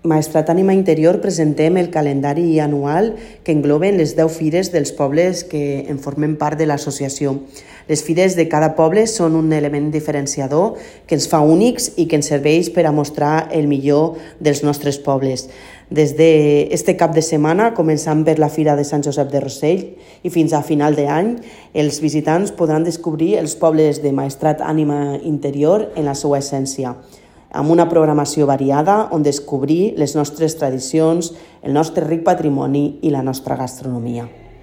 Maestrat Ànima Interior presentem el calendari anual que engloben les 10 fires dels pobles que en formen part de l'associació. Les fires de cada poble són un element diferenciador que ens fa únics i que ens serveix per a mostrar el millor dels nostres pobles. Des d'este cap de setmana, començant per la Fira de Sant Josep de Rossell i fins a final d'any, els visitants podran descobrir els pobles de Maestrat Ànima Interior en la seva essència, amb una programació variada on descobrir les nostres tradicions, el nostre ric patrimoni i la nostra gastronomia.